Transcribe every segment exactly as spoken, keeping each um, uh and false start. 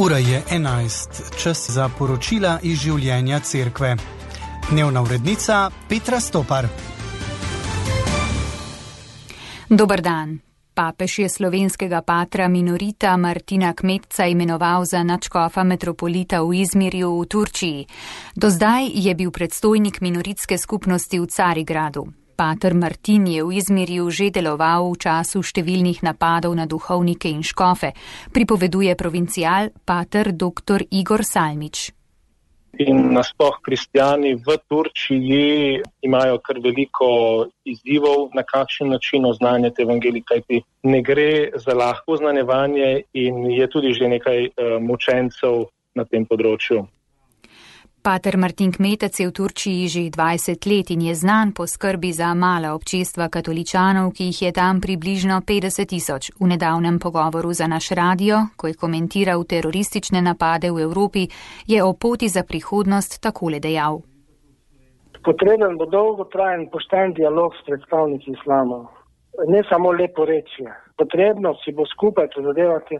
Ura je enajst, čas za poročila iz življenja cerkve. Dnevna urednica Petra Stopar. Dober dan. Papež je slovenskega patra minorita Martina Kmetca imenoval za nadškofa metropolita v Izmirju v Turčiji. Do zdaj je bil predstojnik minoritske skupnosti v Carigradu. Pater Martin je v Izmirju že deloval v času številnih napadov na duhovnike in škofe, pripoveduje provincial pater doktor Igor Salmič. In nasploh kristjani v Turčiji imajo kar veliko izzivov, na kakšen način oznanjati evangelij, kajti ne gre za lahko oznanjevanje in je tudi že nekaj uh, mučencev na tem področju. Pater Martin Kmetec je v Turčiji že dvajset let in je znan po skrbi za mala občestva katoličanov, ki jih je tam približno petdeset tisoč. V nedavnem pogovoru za naš radio, ko je komentiral teroristične napade v Evropi, je o poti za prihodnost takole dejal. Potreben bo dolgotrajen pošten dialog s predstavniki islama. Ne samo lepo reči. Potrebno si bo skupaj prizadevati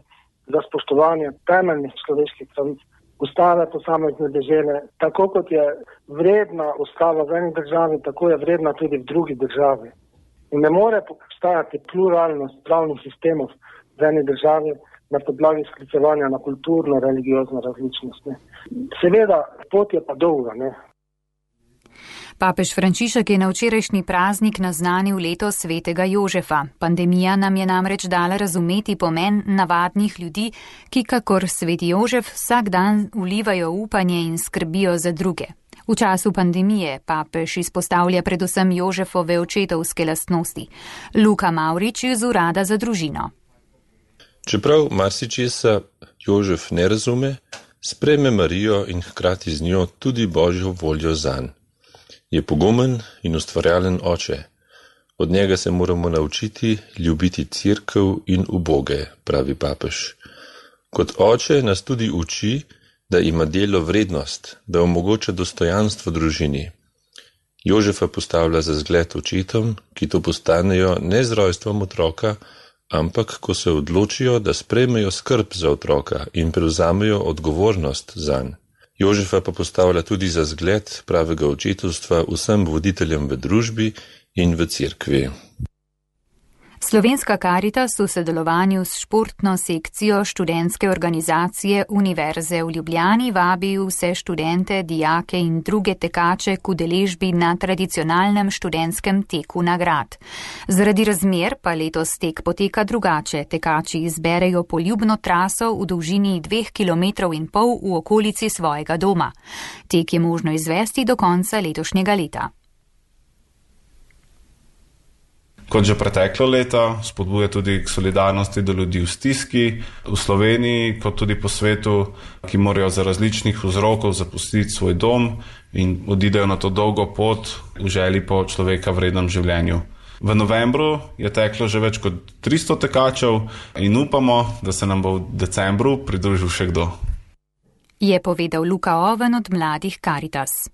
za spoštovanje temeljnih človeških pravic. Ustave posamezne dežele, tako kot je vredna ustava v eni državi, tako je vredna tudi v drugi državi. In ne more obstajati pluralnost pravnih sistemov v eni državi na podlagi sklicevanja na kulturno, religiozno različnost. Ne. Seveda, pot je pa dolga, ne. Papež Frančišek je na včerajšnji praznik naznanil leto svetega Jožefa. Pandemija nam je namreč dala razumeti pomen navadnih ljudi, ki kakor sveti Jožef vsak dan vlivajo upanje in skrbijo za druge. V času pandemije papež izpostavlja predvsem Jožefove očetovske lastnosti. Luka Mavrič iz Urada za družino. Čeprav marsičesa Jožef ne razume, sprejme Marijo in hkrati z njo tudi Božjo voljo zanj. Je pogumen in ustvarjalen oče. Od njega se moramo naučiti ljubiti cerkev in uboge, pravi papež. Kot oče nas tudi uči, da ima delo vrednost, da omogoča dostojanstvo družini. Jožefa postavlja za zgled očetom, ki to postanejo ne z rojstvom otroka, ampak ko se odločijo, da sprejmejo skrb za otroka in prevzamejo odgovornost zanj. Jožefa pa postavlja tudi za zgled pravega očetovstva vsem voditeljem v družbi in v cerkvi. Slovenska Karitas v sodelovanju s športno sekcijo študentske organizacije Univerze v Ljubljani vabi vse študente, dijake in druge tekače k udeležbi na tradicionalnem študentskem teku na grad. Zaradi razmer pa letos tek poteka drugače. Tekači izberejo poljubno traso v dolžini dveh kilometrov in pol v okolici svojega doma. Tek je možno izvesti do konca letošnjega leta. Kot že preteklo leto, spodbuja tudi k solidarnosti do ljudi v stiski, v Sloveniji, kot tudi po svetu, ki morajo za različnih vzrokov zapustiti svoj dom in odidejo na to dolgo pot v želji po človeka vrednem življenju. V novembru je teklo že več kot tristo tekačev in upamo, da se nam bo v decembru pridružil še kdo. Je povedal Luka Oven od Mladih Karitas.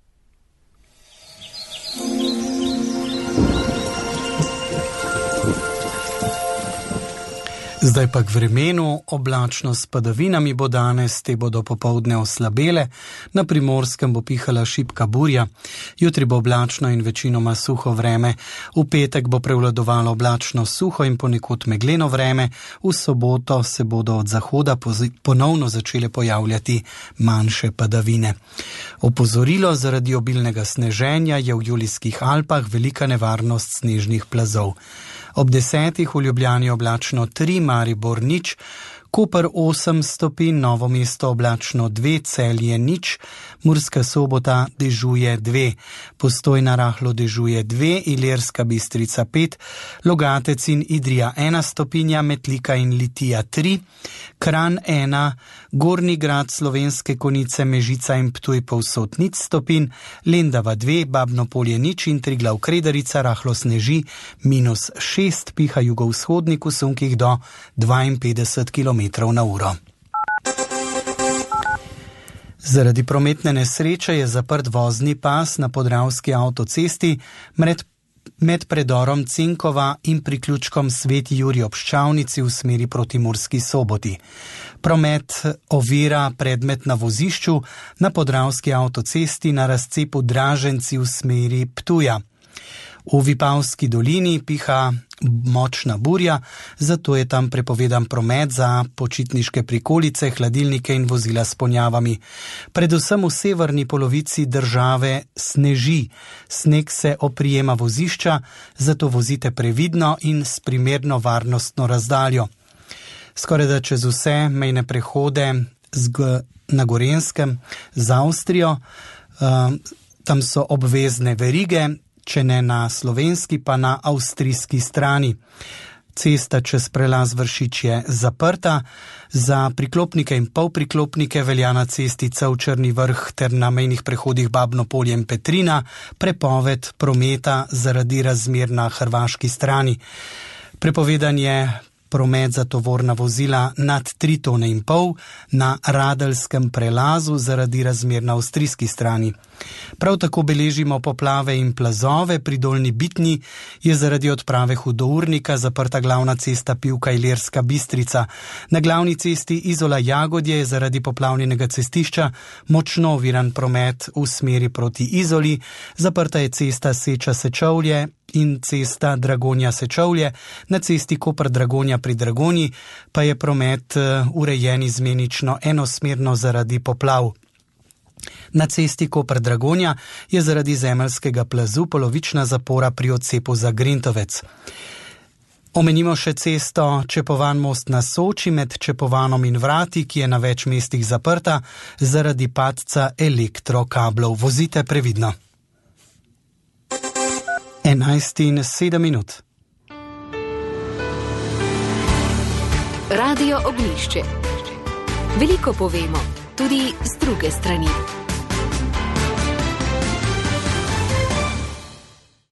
Zdaj pa k vremenu, oblačno s padavinami bo danes, te bodo popoldne oslabele, na Primorskem bo pihala šibka burja, jutri bo oblačno in večinoma suho vreme, v petek bo prevladovalo oblačno suho in ponekod megleno vreme, v soboto se bodo od zahoda ponovno začele pojavljati manjše padavine. Opozorilo zaradi obilnega sneženja je v Julijskih Alpah velika nevarnost snežnih plazov. Ob desetih v Ljubljani oblačno tri, Maribor nič, Koper osem stopinj, Novo mesto oblačno dve, Celje nič, Murska Sobota dežuje dve, Postojna rahlo dežuje dve, Ilirska Bistrica pet, Logatec in Idrija ena stopinja, Metlika in Litija tri, Kranj ena, Gornji Grad, Slovenske Konjice, Mežica in Ptuj povsod nič stopinj, Lendava dve, Babno Polje nič in Triglav Kredarica rahlo sneži minus šest, piha jugovzhodnik v sunkih do dvainpetdeset kilometrov na uro. Zaradi prometne nesreče je zaprt vozni pas na Podravski avtocesti med, med predorom Cinkova in priključkom Sveti Jurij ob Ščavnici v smeri proti Murski Soboti. Promet ovira predmet na vozišču na Podravski avtocesti na razcepu Draženci v smeri Ptuja. V Vipavski dolini piha močna burja, zato je tam prepovedan promet za počitniške prikolice, hladilnike in vozila s ponjavami. Predvsem v severni polovici države sneži. Sneg se oprijema vozišča, zato vozite previdno in s primerno varnostno razdaljo. Skoraj da čez vse mejne prehode na Gorenjskem z Avstrijo, tam so obvezne verige, če ne na slovenski, pa na avstrijski strani. Cesta čez prelaz Vršič je zaprta, za priklopnike in polpriklopnike velja na cesti Črni Vrh ter na mejnih prehodih Babno Polje in Petrina prepoved prometa zaradi razmer na hrvaški strani. Prepovedan je promet za tovorna vozila nad tri tone in pol na Radelskem prelazu zaradi razmer na avstrijski strani. Prav tako beležimo poplave in plazove. Pri Dolnji Bitni je zaradi odprave hudournika zaprta glavna cesta Pivka-Ilirska Bistrica. Na glavni cesti Izola-Jagodje je zaradi poplavljenega cestišča močno oviran promet v smeri proti Izoli. Zaprta je cesta Seča-Sečovlje in cesta Dragonja-Sečovlje. Na cesti Koper-Dragonja pri Dragonji pa je promet urejen izmenično enosmerno zaradi poplav. Na cesti Koper-Dragonja je zaradi zemeljskega plazu polovična zapora pri odcepu za Grintovec. Omenimo še cesto Čepovan most na Soči med Čepovanom in Vrati, ki je na več mestih zaprta zaradi padca elektrokablov. Vozite previdno. enajst in sedem minut. Radio Oglišče. Veliko povemo, tudi z druge strani.